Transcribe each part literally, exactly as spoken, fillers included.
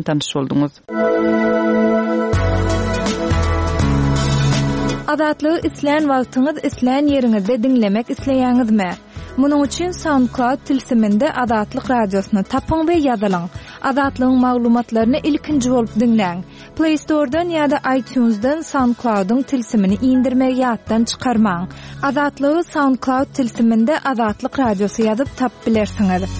tanyş bolduňyz. Azatlygy islän wagtyňyz, islän ýeriňizde diňlemek isleýäňizmi? Munuň üçin SoundCloud tilsiminde Azatlyk radiosyny tapyň we ýazylyň. Azatlygyň maglumatlaryny ilkinji bolup diňläň. Play Store'dan ýa-da iTunes'dan SoundCloud'yň tilsimini indirmegi ýatdan çykarmaň. Azatlygy SoundCloud tilsiminde Azatlyk radiosy ýazyp tapyp bilersiňiz.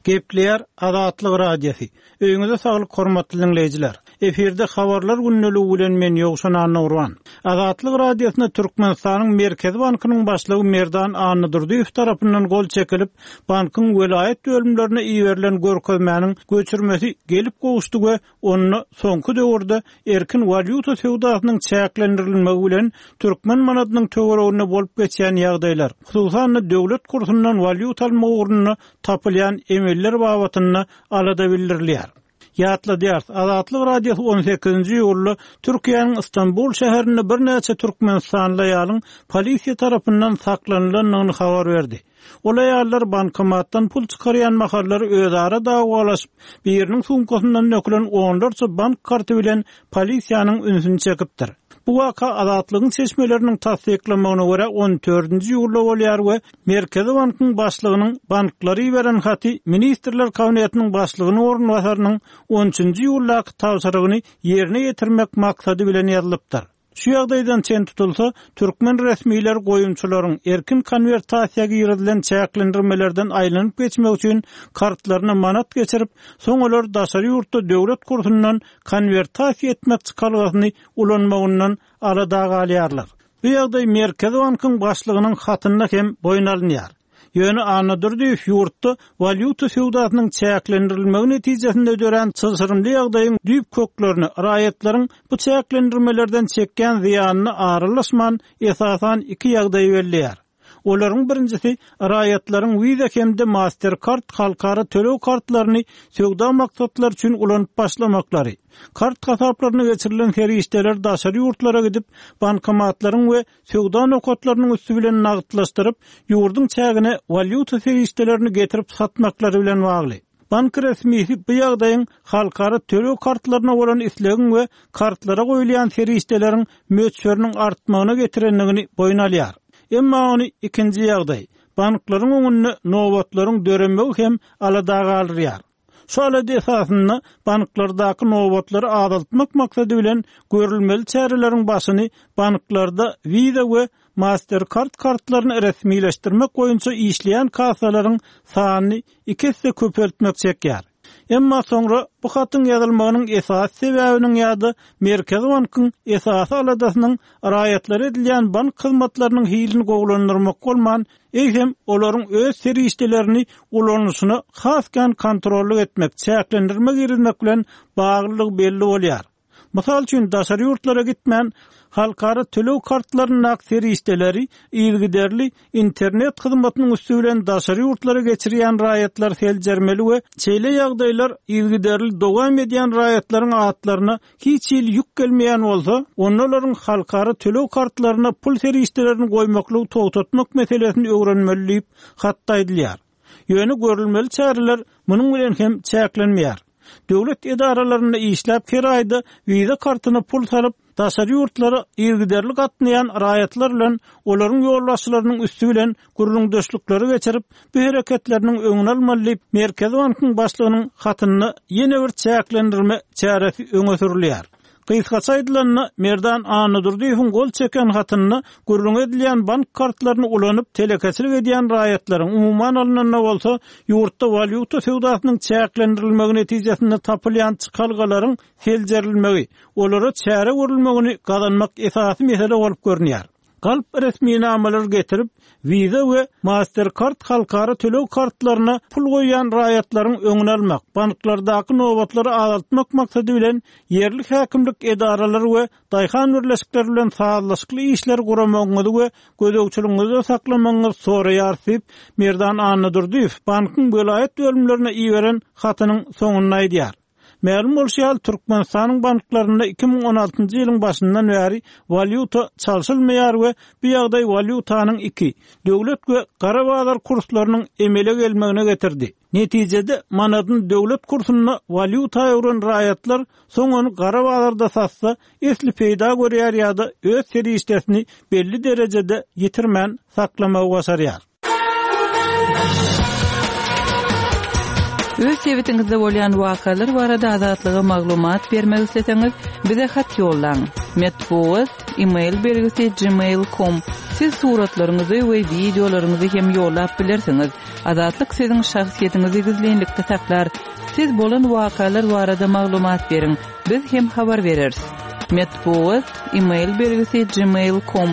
Gepleýär Azatlyk Radiosy. Öýüňize saglyk hormatly dinleýjiler. Efirde habarlar gündeligi bilen men Ýowşan Annagurban. Azatlyk Radiosyna Türkmenistanyň Merkezi Bankynyň başlygy Merdan Annadurdyýew tarapyndan gol çekilip, bankyň welaýat bölümlerine iberilen görkezmäniň göçürmesi gelip gowuşdy we onda soňky döwürde erkin walýuta söwdasynyň çäklendirilmegi bilen türkmen manadynyň töwereginde bolup geçýän ýagdaýlar, hususan-da döwlet kursundan walýuta almak ugrunda tapylýan emeller babatynda alada bildirilýär. Ýatladýar, Azatlyk Radiosy on sekizinji iýulda Türkiýäniň Istanbul şäherinde birnäçe türkmenistanly aýalyň polisiýa tarapyndan saklanylandygyny habar berdi. Ol aýallar bankomatdan pul çykarýan mahallary özara dawalaşyp, biriniň sumkasyndan dökülen onlarça bank karty bilen polisiýanyň ünsüni çekipdir. Bu waka Azatlygyň çeşmeleriniň tassyklamagyna görä on dördünji iýulda bolýar we Merkezi bankyň başlygynyň banklary beren haty Ministrler Kabinetiniň başlygynyň orunbasarynyň on üçünji iýuldaky tabşyrygyny ýerine ýetirmek maksady bilen ýazylypdyr. Şu ýagdaýdan çen tutulsa, türkmen resmiler goýumçylaryň erkin konwertasiýa girizilen çäklendirmelerden aýlanyp geçmek üçin kartlaryna manat geçirip, soň olar daşary ýurtda döwlet kursundan konwertasiýa etmek çykalgasyny ulanmagyndan alada galýarlar. Bu ýagdaý Merkezi bankyň başlygynyň hatynda hem boýun alynýar. Ýöne Annadurdyýew ýurtda walýuta söwdasynyň çäklendirilmegi netijesinde dörän çylşyrymly ýagdaýyň düýp köklerini raýatlaryň bu çäklendirmelerden çekýän zyýanyny aralaşman esasan iki ýagdaý belleýär. Olaryň birinjisi raýatlaryň Visa hem-de Mastercard halkara töleg kartlaryny söwda maksatlary üçin ulanyp başlamaklary. Kart hasaplaryna geçirilen serişdeler daşary ýurtlara gidip, bankomatlaryň we söwda nokatlarynyň üstü bilen nagtlaşdyryp, ýurduň çägine walýuta serişdelerini getirip satmaklary bilen bagly. Bank resmisi bu ýagdaýyň halkara töleg kartlaryna bolan islegiň we kartlara goýulýan serişdeleriň möçberiniň artmagyna getirendigini boýun alýar. Emma ony ikinji ýagdaý, banklaryň öňünde nobatlaryň döremegi hem alada galdyrýar. Şu alada esasynda banklardaky nobatlary azaltmak maksady bilen görülmeli çäreleriň başyny banklarda Visa we Mastercard kartlaryny resmileşdirmek boýunça işleýän kassalaryň sanyny iki esse köpeltmek çekýär. Emma soňra bu hatyň ýazylmagynyň esasy sebäbiniň ýa-da Merkezi bankyň esasy aladasynyň raýatlara edilýän bank hyzmatlarynyň hilini gowulandyrmak bolman, eýsem olaryň öz serişdelerini ulanyşyna has kän kontrollyk etmek, çäklendirme girizmek bilen baglylygy belli bolýar. Mysal üçin daşary ýurtlara gitmän halkara töleg kartlaryndaky serişdeleri yzygiderli internet hyzmatynyň üstü bilen daşary ýurtlara geçirýän raýatlar seljermeli we şeýle ýagdaýlar yzygiderli dowam edýän raýatlaryň atlaryna hiç hili ýük gelmeýän bolsa, onda olaryň halkara töleg kartlaryna pul serişdelerini goýmaklygy togtatmak meselesini öwrenmeli diýip hatda aýdylýar. Ýöne görülmeli çäreler munuň bilen hem çäklenmeýär. Döwlet edaralarynda işläp her aýda wiza kartyna pul salyp, daşary ýurtlara yzygiderli gatnaýan raýatlar bilen olaryň ýolbaşçylarynyň üstü bilen gürrüňdeşlikleri geçirip, bu hereketleriniň öňüni almaly diýip, Merkezi bankyň başlygynyň hatynda ýene bir çäklendirme çäresi öňe sürülýär. Gysgaça aýdylanda, Merdan Annadurdyýewiň gol çeken hatynda gürrüň edilýän bank kartlaryny ulanyp telekeçilik edýän raýatlaryň umuman alnanda bolsa ýurtda walýuta söwdasynyň çäklendirilmegi netijesinde tapylýan çykalgalaryň seljerilmegi, olara çäre görülmegini gazanmak esasy mesele bolup görünýär. Galp resminamalar getirip, Visa we Mastercard halkara töleg kartlaryna pul goýýan raýatlaryň öňüni almak, banklardaky nobatlary azaltmak maksady bilen ýerli häkimlik edaralary we daýhan birleşikleri bilen sazlaşykly işler guramagyňyzy we gözegçiligiňizi saklamagyňyzy soraýar diýip, Merdan Annadurdyýew bankyň welaýat bölümlerine iberen hatynyň soňunda aýdýar. Mälim bolşy ýaly, Türkmenistanyň banklarynda iki müň on altynjy ýylyň başyndan bäri walýuta çalşylmaýar we bu ýagdaý walýutanyň iki, döwlet we gara bazar kurslarynyň emele gelmegine getirdi. Netijede manadyň döwlet kursunda walýuta öwren raýatlar soň ony gara bazarda satsa, esli peýda görýär ýa-da öz serişdesini belli derejede ýitirmän saklamagy başarýar. Öz sebitiňizde bolýan wakalar barada Azatlyga maglumat bermek isleseňiz, bize hat ýollaň. Metbugat, e-mail belgisi gmail nokta com. Siz suratlaryňyzy we wideolaryňyzy hem ýollap bilersiňiz. Azatlyk siziň şahsyýetiňizi gizlinlikde saklar. Siz bolan wakalar barada maglumat beriň. Biz hem habar bereris. Metbugat, e-mail belgisi gmail nokta com.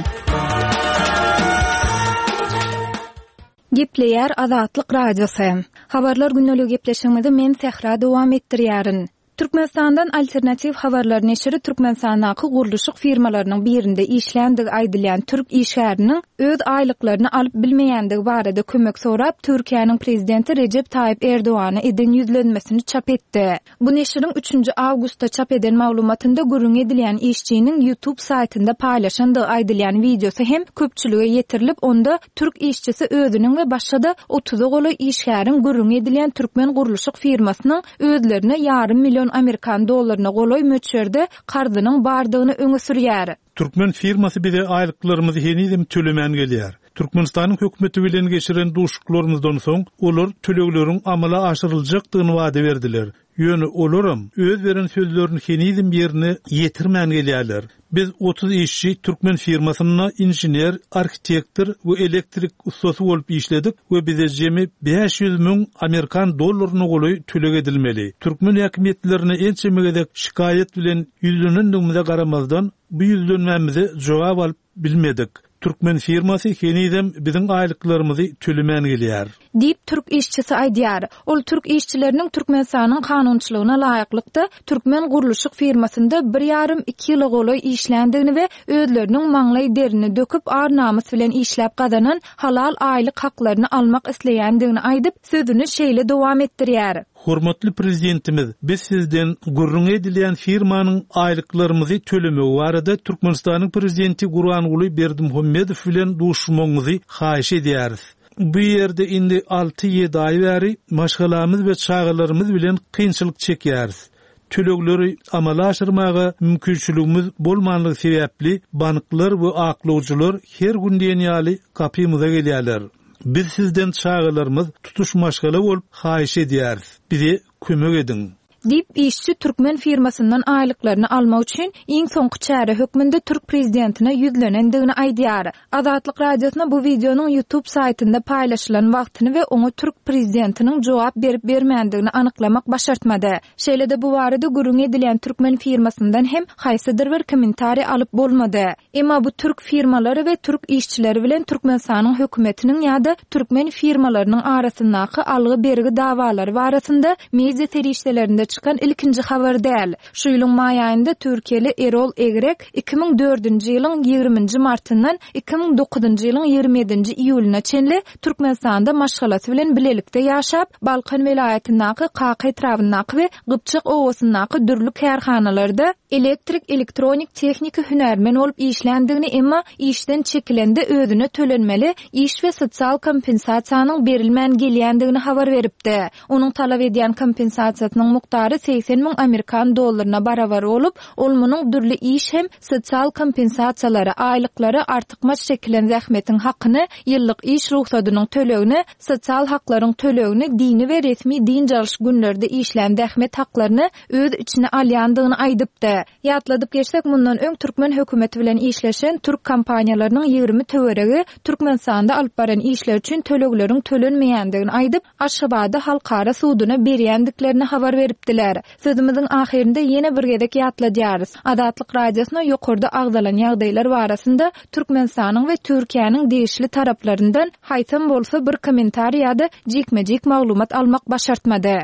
Gepleýär Azatlyk Radiosy. Habarlar günlügi gepleşigimizi men Sähra dowam etdirýärin. Türkmenistandan alternatiw habarlar neşiri Türkmenistandaky gurluşyk firmalarynyň birinde işländigi aýdylýan türk işgäriniň öz aýlyklaryny alyp bilmeýändigi barada kömek sorap Türkiýäniň prezidenti Recep Tayyip Erdogana eden ýüzlenmesini çap etdi. Bu neşiriň üçünji awgustda çap eden maglumatynda gürrüň edilýän işçiniň YouTube saýtynda paýlaşandygy aýdylýan wideosy hem köpçülige ýetirilip, onda türk işçisi özüniň we başga-da otuza golaý işgäriň gürrüň edilýän türkmen gurluşyk firmasynyň özlerine ýarym milyon Amerikan dollaryna golaý möçberde karzynyň bardygyny öňe sürýär. Türkmen firmasy bize aýlyklarymyzy henizem tölemän gelýär. Türkmenistanyň hökümeti bilen geçiren duşuşyklarymyzdan soň olar tölegleriň amala aşyryljakdygyny wada berdiler. Ýöne olaram öz beren sözlerini henizem ýerine ýetirmän gelýärler. Biz otuz işçi türkmen firmasynda inžener, arhitektor we elektrik ussasy bolup işledik we bize jemi bäş ýüz müň Amerikan dollaryna golaý töleg edilmeli. Türkmen häkimiýetlerine ençeme gezek şikaýat bilen ýüzlenendigimize garamazdan bu ýüzlenmämize jogap alyp bilmedik. Türkmen firmasy henizem biziň aýlyklarymyzy tölemän gelýär. Diýip türk işçisi aýdýar. Ol türk işçileriniň Türkmenistanyň kanunçylygyna laýyklykda türkmen gurluşyk firmasynda bir ýarym iki ýyla golaý işländigini we özleriniň maňlaý derini döküp ar-namys bilen işläp gazanan halal aýlyk haklaryny almak isleýändigini aýdyp, sözüni şeýle dowam etdirýär. Hormatly prezidentimiz, biz sizden gürrüň edilýän firmanyň aýlyklarymyzy tölemegi barada Türkmenistanyň prezidenti Gurbanguly Berdimuhamedow bilen duşuşmagyňyzy haýyş edýäris. Bu ýerde indi alty ýedi aý bäri maşgalamyz we çagalarymyz bilen kynçylyk çekýäris. Tölegleri amala aşyrmaga mümkinçiligimiz bolmanlygy sebäpli banklar we aklawjylar her gün diýen ýaly gapymyza gelýärler. Biz sizden çagalarymyz tutuş maşgala bolup haýyş edýäris. Bize kömek ediň. Diýip işçi türkmen firmasyndan aýlyklaryny almak üçin iň soňky çäre hökmünde türk prezidentine ýüzlenendigini aýdýar. Azatlyk Radiosyna bu wideonyň YouTube saýtynda paýlaşylan wagtyny we oňa türk prezidentiniň jogap berip bermändigini anyklamak başartmady. Şeýle-de bu barada gürrüň edilýän türkmen firmasyndan hem haýsydyr bir kommentariý alyp bolmady. Emma bu türk firmalary we türk işçileri bilen Türkmenistanyň hökümetiniň ýa-da türkmen firmalarynyň arasyndaky algy-bergi dawalary barasynda media serişdelerinde çykan ilkinji habar däl. Şu ýylyň maý aýynda Türkiýeli Erol Egrek iki müň dördünji ýylyň ýigriminji martyndan iki müň dokuzynjy ýylyň ýigrimi ýedinji iýulyna çenli Türkmenistanda maşgalasy bilen bilelikde ýaşap, Balkan welaýatyndaky Kaka etrabyndaky we Gypjak obasyndaky dürli kärhanalarda elektrik, elektronik, tehniki hünärmen bolup işländigini, emma işden çekilende özüne tölenmeli iş we sosial kompensasiýanyň berilmän gelýändigini habar beripdi. Onuň talap edýän kompensasiýasynyň mukdary seksen müň Amerikan dollaryna barabar bolup, ol munuň dürli iş hem sosial kompensasiýalary, aýlyklary, artykmaç çekilen zähmetiň hakyny, ýyllyk iş ruhsadynyň tölegini, sosial haklaryň tölegini, dini we resmi dynç alyş günlerde işlän zähmet haklaryny öz içine alýandygyny aýdypdy. Ýatladyp geçsek, mundan öň türkmen hökümeti bilen işleşen türk kompaniýalarynyň ýigrimi töweregi Türkmenistanda alyp baran işler üçin tölegleriň tölenmeýändigini aýdyp, Aşgabatda halkara suduna berýändiklerini habar beripdiler. Sözümiziň ahyrynda ýene bir gezek ýatladýarys. Azatlyk Radiosyna ýokarda agzalan ýagdaýlar barasynda Türkmenistanyň we Türkiýäniň degişli taraplaryndan haýsam bolsa bir kommentariý ýa-da jikme-jik maglumat almak başartmady.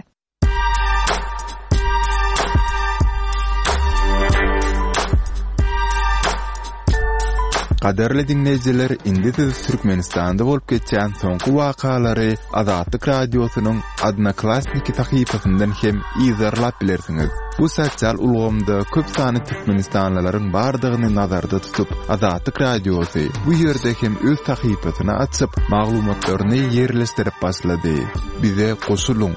Gadyrly diňleýjiler, indi siz Türkmenistanda bolup geçýän soňky wakalary Azatlyk Radiosynyň Odnoklassniki sahypasyndan hem yzarlap bilersiňiz. Bu sosial ulgamda köp sanly türkmenistanlylaryň bardygyny nazarda tutup, Azatlyk Radiosy bu ýerde hem öz sahypasyny açyp, maglumatlaryny ýerleşdirip başlady. Bize goşulyň.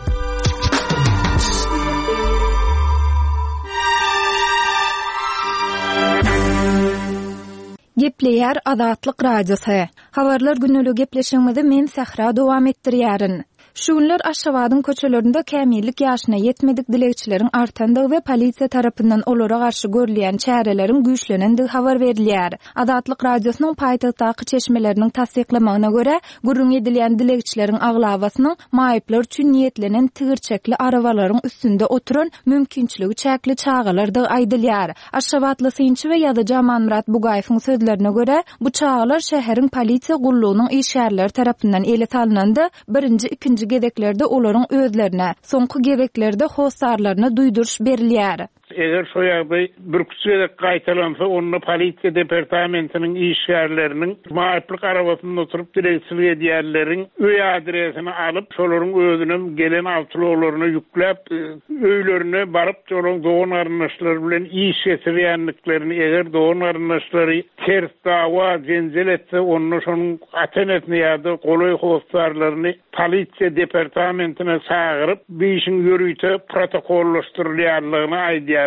Gepleýär Azatlyk Radiosy. Habarlar günlügi gepleşigimizi men Sähra dowam etdirýärin. Şu günler Aşgabadyň köçelerinde kämillik ýaşyna ýetmedik dilegçileriň artandygy we polisiýa tarapyndan olara garşy görülýän çäreleriň güýçlenendigi habar berilýär. Azatlyk Radiosynyň paýtagtdaky çeşmeleriniň tassyklamagyna görä, gürrüň edilýän dilegçileriň aglabasynyň maýyplar üçin niýetlenen tigirçekli arabalaryň üstünde oturan mümkinçiligi çäkli çagalardygy aýdylýar. Aşgabatly synçy we ýazyjy Amanmyrat Bugaýewiň sözlerine görä, bu çagalar şäheriň polisiýa gullugynyň işgärleri tarapyndan ele salynanda birinji, ikinji gezeklerde olaryň özlerine, soňky gezeklerde hossarlaryna duýduryş berilýär. Eger şo ýagdaý bir küçük gezek gaýtalansa, onda polisiýa departamentiniň işgärleriniň maýyplyk arabasynda oturyp dilegçilik edýänleriň öý adresini alyp, şolaryň özüne gelen awtoulaglaryna ýükläp, öýlerine baryp, şolaryň dogan garyndaşlary bilen iş geçirýändiklerini, eger dogan garyndaşlary ters dawa jenjel etse, onda şonuň ata-enesini ýa-da golaý hossarlaryny polisiýa departamentine çagyryp, bu işiň ýörite protokollaşdyrylýanlygyny aýdýarlar.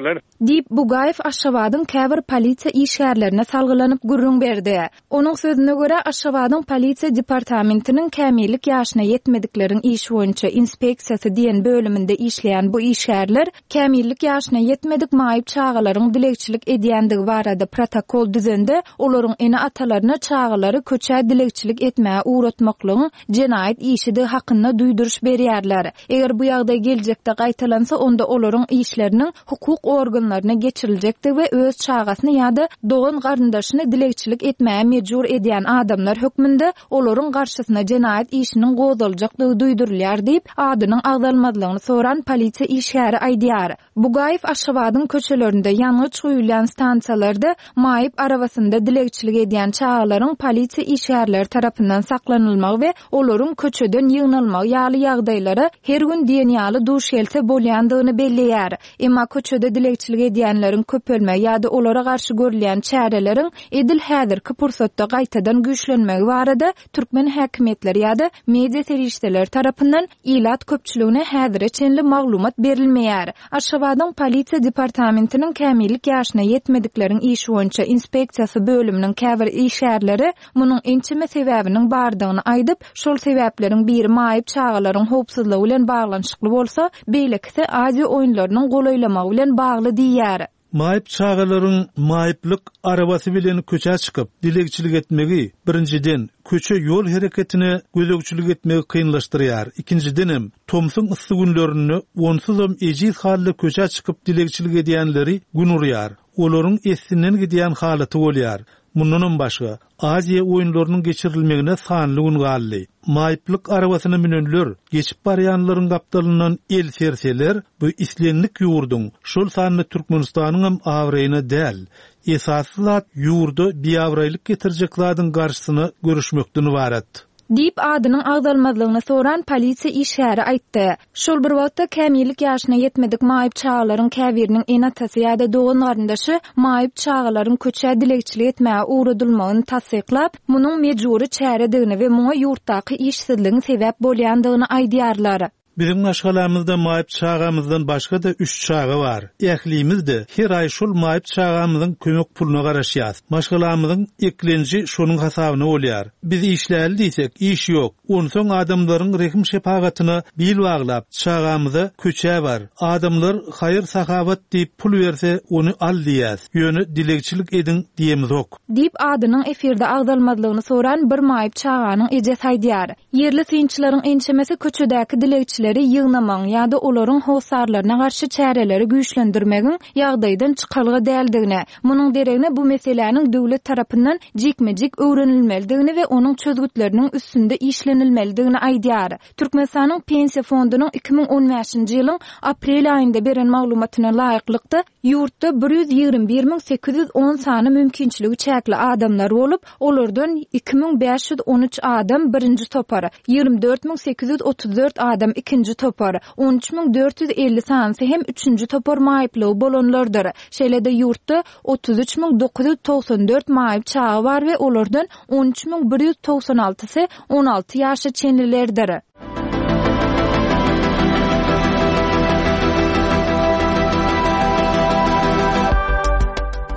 Diýip, Bugaýew Aşgabadyň käbir polisiýa işgärlerine salgylanyp gürrüň berdi. Onuň sözüne görä, Aşgabadyň polisiýa departamentiniň kämillik ýaşyna ýetmedikleriň işi boýunça inspeksiýasy diýen bölüminde işleýän bu işgärler kämillik ýaşyna ýetmedik maýyp çagalaryň dilegçilik edýändigi barada protokol düzende, olaryň ene-atalaryna çagalary köçä dilegçilik etmäge ugratmaklygyň jenaýat işidigi hakynda duýduryş berýärler. Eger bu ýagdaý geljekde gaýtalansa, onda olaryň işleriniň hukuk organlaryna geçiriljekdigi we öz çagasyny ýa-da dogan garyndaşyny dilegçilik etmäge mejbur edýän adamlar hökmünde olaryň garşysyna jenaýat işiniň gozgaljakdygy duýdurylýar diýip, adynyň agzalmazlygyny soran polisiýa işgäri aýdýar. Bugaýew Aşgabadyň köçelerinde ýangyç guýulýan stansiýalarda maýyp arabasynda dilegçilik edýän çagalaryň polisiýa işgärleri tarapyndan saklanylmagy we olaryň köçeden ýygnalmagy ýaly ýagdaýlara her gün diýen ýaly duş gelse bolýandygyny belleýär. Emma köçede dilegçilik edýänleriň köpelmegi ýa-da olara garşy görülýän çäreleriň edil häzirki pursatda gaýtadan güýçlenmegi barada türkmen häkimiýetleri ýa-da media serişdeleri tarapyndan ilat köpçüligine häzire çenli maglumat berilmeýär. Aşgabadyň polisiýa departamentiniň kämillik ýaşyna ýetmedikleriň işi boýunça inspeksiýasy bölüminiň käbir işgärleri munuň ençeme sebäbiniň bardygyny aýdyp, şol sebäpleriň biri maýyp çagalaryň howpsuzlygy bilen baglanyşykly bolsa, beýlekisi Aziýa oýunlarynyň golaýlamagy bilen bagly diýýär. Maýyp çagalaryň maýyplyk arabasy bilen köçä çykyp dilegçilik etmegi birinjiden köçe ýol hereketine gözegçilik etmegi kynlaşdyrýar. Ikinjidenem tomsuň yssy günlerinde onsuzam ejiz halda köçä çykyp dilegçilik edýänleri gün urýar. Olaryň essinden gidýän halaty bolýar. Mundanam başga Aziýa oýunlarynyň geçirilmegine sanly gün galdy. Maýyplyk arabasyna münenler, geçip barýanlaryň gapdalyndan el serseler, bu islendik ýurduň, şol sanda Türkmenistanyň hem abraýyna däl. Esasy zat ýurda biabraýlyk getirjek zadyň garşysyna görüşmekden ibarat. Diýip adynyň agzalmazlygyny soran polisiýa işgäri aýtdy. Şol bir wagtda kämillik ýaşyna ýetmedik maýyp çagalaryň käbiriniň ene-atasy ýa-da dogan garyndaşy maýyp çagalaryň köçä dilegçilik etmäge ugradylmagyny tassyklap, munuň mejbury çäredigini we muňa ýurtdaky işsizligiň sebäp bolýandygyny aýdýarlar. Biziň maşgalamyzda maýyp çagamyzdan başga-da üç çaga bar. Ählimiz de her aý şol maýyp çagamyzyň kömek puluna garaşýas. Maşgalamyzyň eklenji şonuň hasabyna bolýar. Biz işläli diýsek, iş ýok. Onsoň adamlaryň rehim şepagatyna bil baglap, çagamyza köçä bar. Adamlar haýyr sahabat diýip pul berse, ony al diýýäs. Ýöne dilegçilik ediň diýemizok. Diýip adynyň efirde agzalmazlygyny soran bir maýyp çaganyň ejesi aýdýar. Ýerli synçylaryň ençemesi köçedäki dilegçileri ýygnamagyň ýa-da olaryň hossarlaryna garşy çäreleri güýçlendirmegiň ýagdaýdan çykalga däldigini, munuň deregine bu meseläniň döwlet tarapyndan jikme-jik öwrenilmelidigini we onuň çözgütleriniň üstünde işlenilmelidigini aýdýar. Türkmenistanyň Pensiýa fondunyň iki müň on bäşinji ýylyň aprel aýynda beren maglumatyna laýyklykda Ýurtda bir ýüz ýigrimi bir müň sekiz ýüz on sany mümkinçiligi çäkli adamlar bolup, olardan iki müň bäş ýüz on üç adam birinji topar, ýigrimi dört müň sekiz ýüz otuz dört adam ikinji topar, on üç müň dört ýüz elli sanysy hem üçünji topar maýyplygy bolanlardyr. Şeýle-de ýurtda otuz üç müň dokuz ýüz togsan dört maýyp çaga bar we olardan on üç müň bir ýüz togsan altysy on alty ýaşa çenlilerdir.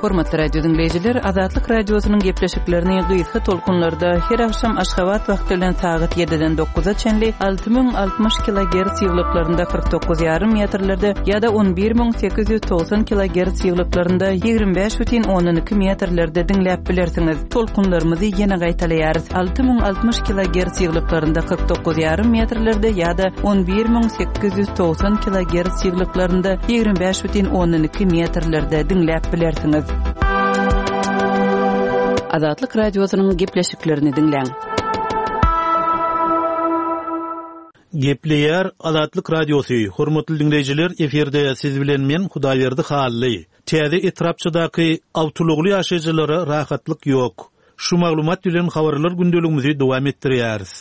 Hormatly radio dinleýjiler, Azatlyk radiosynyň gepleşiklerini gysga tolkunlarda her akşam Aşgabat wagty bilen sagat ýediden dokuza çenli alty müň altmyş kilogertz ýyglyklarynda kyrk dokuz ýarym metrlerde ýa-da on bir müň sekiz ýüz togsan kilogertz ýyglyklarynda ýigrimi bäş bütin ondan iki metrlerde diňläp bilersiňiz. Tolkunlarymyzy ýene gaýtalaýarys. Alty müň altmyş kilogertz ýyglyklarynda kyrk dokuz ýarym metrlerde ýa-da on bir müň sekiz ýüz togsan kilogertz ýyglyklarynda ýigrimi bäş bütin ondan iki metrlerde diňläp bilersiňiz. Azatlyk radiosynyň gepleşiklerini diňläň. Gepleýär Azatlyk radiosy. Hormatly dinleýjiler, efirde siz bilen men Hudaýberdi Hally. Täze etrapçadaky awtulugly ýaşaýjylara rahatlyk ýok. Şu maglumat bilen habarlar gündeligimizi dowam etdirýäris.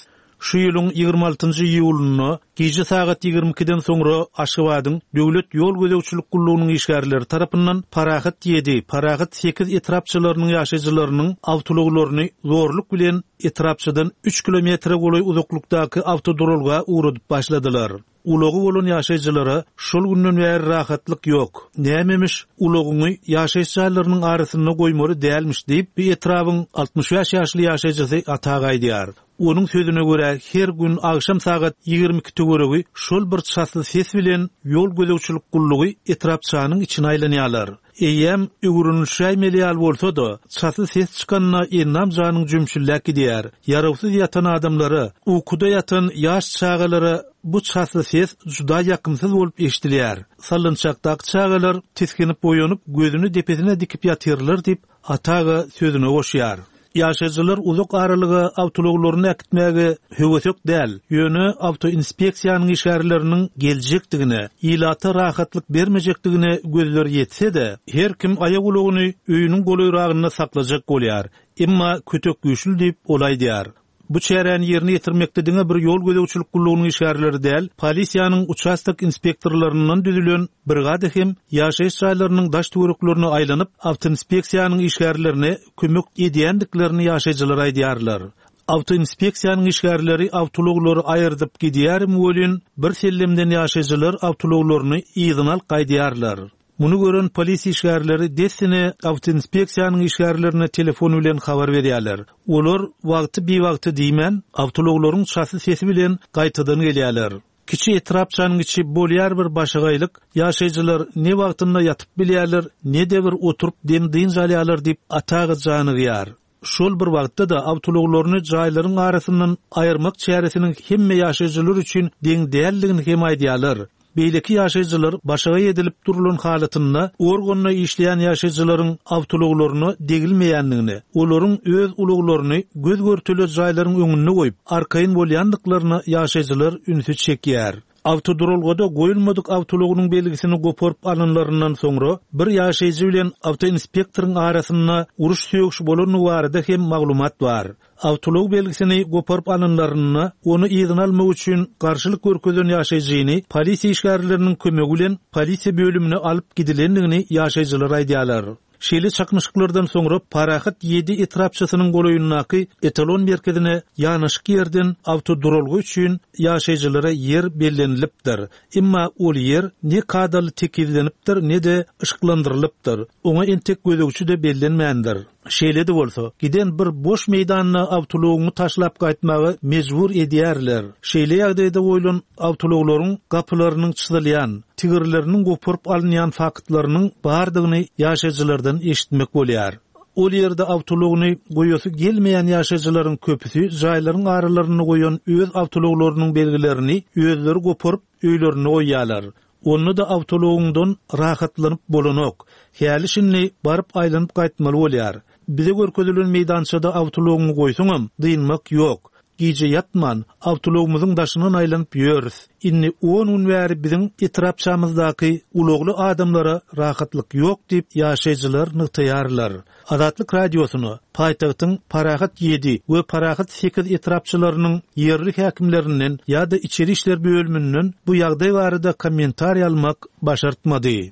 Şu ýylyň ýigrimi altynjy iýulynda gije sagat ýigrimi ikiden soňra Aşgabadyň Döwlet ýol gözegçilik gullugynyň işgärleri tarapyndan Parahat ýedi, Parahat sekiz etrapçalarynyň ýaşaýjylarynyň awtuluglaryny zorluk bilen etrapçadan üç kilometre golaý uzaklykdaky awtoduralga ugradyp başladylar. Ulagy bolan ýaşaýjylara şol günden bäri rahatlyk ýok. Nämemiş ulagyňy ýaşaýyş jaýlarynyň arasynda goýmaly dälmiş diýip, bir etrabyň altmyş bäş ýaşly ýaşaýjysy Ata aýdýar. Onuň sözüne görä her gün akşam sagat ýigrimi iki töweregi şol bir çasly ses bilen ýol gözegçilik gullugy etrapçanyň içine aýlanýarlar. Eýýäm öwrünişäýmeli ýaly bolsa-da, çasly ses çykanyna ennam janyň jümşüllek gidýär. Ýarawsyz ýatan adamlara, ukuda ýatan ýaş çagalara bu çasly ses juda ýakymsyz bolup eşidilýär. Sallançakdaky çagalar tisginip boýanyp, gözüni depesine dikip ýatyrlar diýip, Ataga sözüne goşýar. Ýaşaýjylar uzak aralyga awtulaglaryny äkitmäge höwesek däl, ýöne awtoinspeksiýanyň işgärleriniň geljekdigine, ilata rahatlyk bermejekdigine gözleri ýetse-de, her kim aýak ulagyny öýüniň golaýragynda saklajak bolýar. Emma kötek güýçli diýip ol aýdýar. Bu çäräni ýerine ýetirmekde diňe bir ýol gözegçilik gullugynyň işgärleri däl, polisiýanyň uçastok inspektorlaryndan düzülen brigada hem ýaşaýyş jaýlarynyň daş töwereklerine aýlanyp, awtoinspeksiýanyň işgärlerine kömek edýändiklerini ýaşaýjylar aýdýarlar. Awtoinspeksiýanyň işgärleri awtouloglary aýyrdyp gidýärmi welin, bir sellemden ýaşaýjylar awtouloglaryny yzyna alyp gaýdýarlar. Muny gören polis işgärleri dessine awtoinspeksiýanyň işgärlerine telefon bilen habar berýärler. Olar wagty biwagty diýmän, awtouloglaryň çasly sesi bilen gaýtadan gelýärler. Kiçi etrapçanyň içi bolýar bir başagaýlyk, ýaşaýjylar ne wagtynda ýatyp bilýärler, ne de bir oturyp dem dynç alýarlar diýip Ataga janygýar. Şol bir wagtda da awtouloglaryny jaýlaryň arasyndan aýyrmak çäresiniň hemme ýaşaýjylar üçin deň däldigini hem aýdýarlar. Beýleki ýaşaýjylar başagaý edilip durulan halatynda organda işleýän ýaşaýjylaryň awtoulaglaryna degilmeýändigini, olaryň öz ulaglaryny göz görtüli jaýlaryň öňünde goýup, arkaýyn bolýandyklaryna ýaşaýjylar ünsi çekýär. Awtoduralgada goýulmadyk awtoulagynyň belgisini goparyp alynlaryndan soňra bir ýaşaýjy bilen awtoinspektoryň arasynda uruş sögüşi bolany barada hem maglumat bar. Awtoulag belgisini goparyp alynlarynda ony yzyna almak üçin garşylyk görkezen ýaşaýjyny polisiýa işgärleriniň kömegi bilen polisiýa bölümine alyp gidilendigini ýaşaýjylar aýdýarlar. Şeýle çaknyşyklardan soňra Parahat ýedi etrapçasynyň golaýyndaky etalon merkezine ýanaşyk ýerden awtoduralga üçin ýaşaýjylara ýer bellenilipdir. Emma ol ýer ne kadaly tekizlenipdir, ne-de yşyklandyrylypdyr. Oňa entek gözegçi de bellenmändir. Şeýle de bolsa, giden bir boş meýdanda awtoulagyny taşlap gaýtmaga mejbur edýärler. Şeýle ýagdaýda goýlan awtoulaglaryň gapylarynyň çyzylýan, tigirleriniň goparyp alynýan faktlarynyň bardygyny ýaşaýjylardan eşitmek bolýar. Ol ýerde awtoulagyny goýasy gelmeýän ýaşaýjylaryň köpüsi jaýlaryň aralarynda goýan öz awtoulaglarynyň belgilerini özleri goparyp öýlerine goýýarlar. Onda da awtoulagyňdan rahatlanyp bolanok. Häli şindi baryp aýlanyp gaýtmaly bolýar. Bize görkezilen meýdançada awtoulagyňy goýsaňam dynmak ýok. Gije ýatman, awtoulagymyzyň daşyndan aýlanyp ýörüs. Indi on gün bäri biziň etrapçamyzdaky ulagly adamlara rahatlyk ýok diýip ýaşaýjylar nygtaýarlar. Azatlyk Radiosyna paýtagtyň Parahat ýedi we Parahat sekiz etrapçalarynyň ýerli häkimlerinden ýa-da içeri işler bölüminden bu ýagdaý barada kommentariý almak başartmady.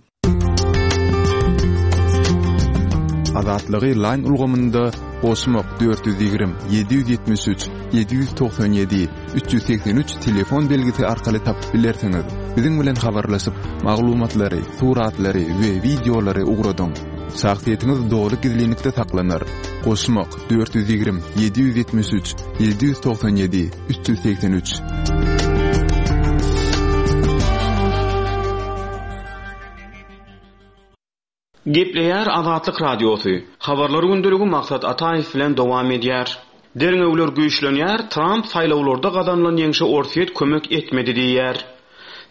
Azatlygy Line ulgamynda goşmak dört ýüz ýigrimi, ýedi ýüz ýetmiş üç, ýedi ýüz togsan ýedi, üç ýüz segsen üç telefon belgisi arkaly tapyp bilersiňiz. Biziň bilen habarlaşyp, maglumatlary, suratlary we wideolary ugradyň. Şahsyýetiňiz doly gizlinlikde saklanar. Goşmak dört ýüz ýigrimi, ýedi ýüz ýetmiş üç, ýedi ýüz togsan ýedi, üç ýüz segsen üç. Gepleýär Azatlyk Radiosy. Habarlar gündeligi Maksat Ataýew bilen dowam edýär. Derňewler güýçlenýär, Tramp saýlawlarda gazanylan ýeňşe Orsýet kömek etmedi diýýär.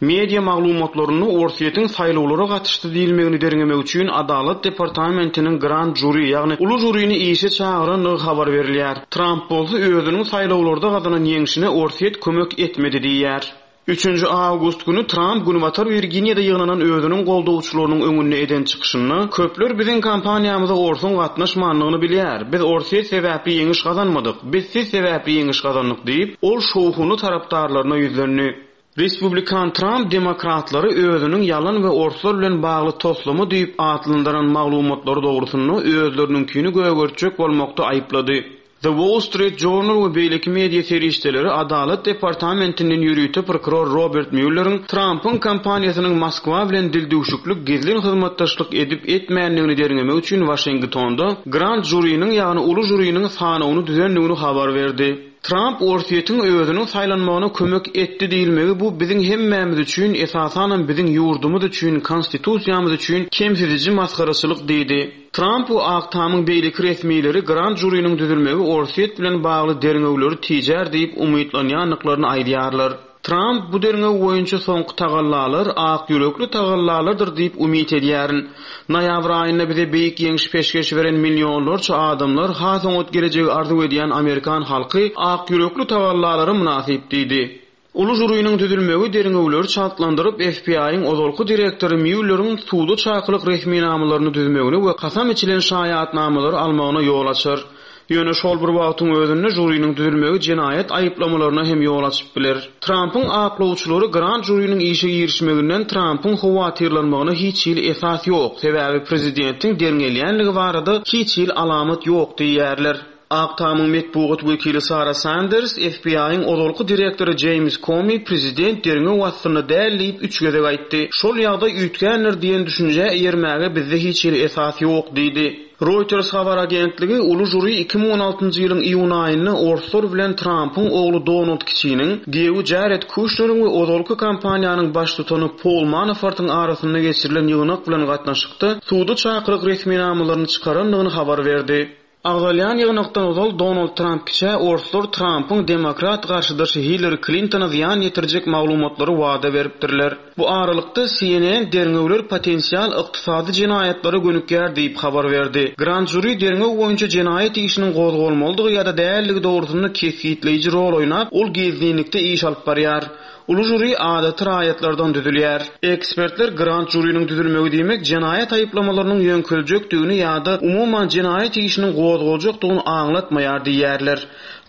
Media maglumatlarynda Orsýetiň saýlawlara gatyşdy diýilmegini derňemek üçin Adalat departamentiniň Grand Jury, ýagny uly žurini işe çagyrandygy habar berilýär. Tramp bolsa özüniň saýlawlarda gazanan ýeňşine Orsýet kömek etmedi diýýär. Üçünji awgust güni Tramp Günbatar Wirginiýada ýygnanan özüniň goldawçylarynyň öňünde eden çykyşynda, Köpler biziň kampaniýamyza Orsuň gatnaşmandygyny bilýär. Biz Orsýet sebäpli ýeňiş gazanmadyk. Biz siz sebäpli ýeňiş gazandyk diýip, ol şowhunly tarapdarlaryna ýüzlendi. Respublikan Tramp demokratlary özüniň ýalan we orslar bilen bagly toslama diýip atlandyran maglumatlary dogrusynda özleriniňkini gögertjek bolmakda aýyplady. The Wall Street Journal we beýleki media serişdeleri Adalat departamentinden ýörite prokuror Robert Muelleriň Trumpyň kampaniýasynyň Moskwa bilen dildüwşüklik gizlin hyzmatdaşlyk edip etmändigini derňemek üçin Waşingtonda Grand Jurynyň, ýagny uly žuriniň sanawyny düzendigini habar berdi. Trump Orsýetiň özüniň saýlanmagyna kömek etdi diýilmegi bu biziň hemmämiz üçin, esasanam biziň ýurdumyz üçin, konstitusiýamyz üçin kemsidiji masgaraçylyk diýdi. Trump we Ak Tamyň beýleki resmileri Grand Jurynyň düzülmegi Orsýet bilen bagly derňewleri tijär diýip umytlanýandyklaryny aýdýarlar. Trump bu derňew boýunça soňky tagallalar ak ýürekli tagallalardyr diýip umyt edýärin. Noýabr aýynda bize beýik ýeňiş peşgeş beren millionlarça adamlar has oňat gelejegi arzuw edýän Amerikan halky ak ýürekli tagallalara mynasyp diýdi. Uly žuriniň düzülmegi derňewleri çaltlandyryp F B I-iň ozalky direktory Muelleriň suda çakylyk resminamalaryny düzmegini we kasam içilen şaýatnamalary almagyna ýol açar. Ýöne şol bir wagtyň özünde žuriniň düzülmegi jenaýat aýyplamalaryna hem ýol açyp biler. Trumpyň aklawçylary Grand Jurynyň işe girişmeginden Trumpyň howatyrlanmagyna hiç hili esas ýok, sebäbi prezidentiň derňelýänligi barada hiç hili alamat ýok diýýärler. Ak Tamyň metbugat wekili Sara Sanders, F B I-iň ozalky direktory James Comey prezident derňew astynda däl diýip üç gezek aýtdy. Şol ýagdaý üýtgändir diýen düşünjä eýermäge bizde hiç hili esas ýok diýdi. Reuters habar agentligi uly žuri iki müň on altynjy ýylyň iýun aýynda Orslar bilen Trumpyň ogly Donald Kiçiniň, giýewi Jared Kushneriň we ozalky kampaniýanyň baştutany Paul Manafortyň arasynda geçirilen ýygnak bilen gatnaşykda suda çakylyk resminamalaryny çykarandygyny habar berdi. Agzalýan ýygnakdan ozal Donald Trump kiçä Orslar Trumpyň demokrat garşydaşy Hillary Clintona zyýan ýetirjek maglumatlary wada beripdirler. Bu aralykda C N N derňewler potensial ykdysady jenaýatlara gönükýär diýip habar berdi. Grand Jury derňew boýunça jenaýat işiniň gozgalmalydygy ýa-da dälligi dogrusynda kesgitleýji rol oýnap, ol gizlinlikde iş alyp barýar. Uly žuri adaty raýatlardan düzülýär. Ekspertler Grand Jurynyň düzülmegi diýmek jenaýat aýyplamalarynyň ýöňkeljekdigini ýa-da umuman jenaýat işiniň gozgaljakdygyny aňlatmaýar diýýärler.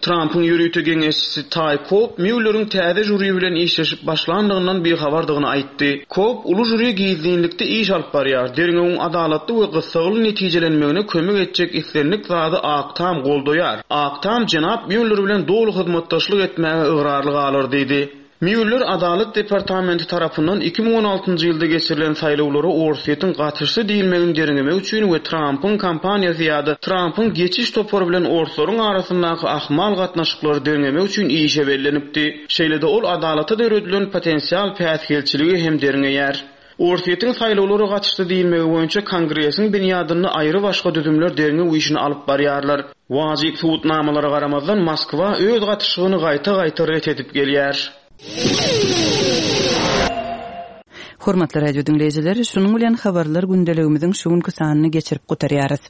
Trumpyň ýörite geňeşçisi Ty Cobb Muelleriň täze žuri bilen işleşip başlandygyndan bihabardygyny aýtdy. Cobb uly žuri gizlinlikde iş alyp barýar. Derňewiň adalatly we gyssagly netijelenmegine kömek etjek islendik zady Ak Tam goldaýar. Ak Tam jenap Mueller bilen doly hyzmatdaşlyk etmäge ygrarly galar diýdi. Mueller Adalat departamenti tarapyndan iki müň on altynjy ýylda geçirilen saýlawlara Orsýetiň gatyşdy diýilmegini derňemek üçin we Trumpyň kampaniýasy ýa-da Trumpyň geçiş topary bilen Orslaryň arasyndaky ahmal gatnaşyklary derňemek üçin işe bellenipdi. Şeýle-de ol adalata döredilen potensial päsgelçiligi hem derňeýär. Orsýetiň saýlawlara gatyşdy diýilmegi boýunça Kongresiň binýadynda aýry başga düzümler derňew işini alyp barýarlar. Wajyp subutnamalara garamazdan Moskwa öz gatyşygyny gaýta-gaýta ret edip gelýär. Hormatly radio dinleýjiler, şunuň bilen habarlar gündeligimiziň şu günki sanyny geçirip gutarýarys.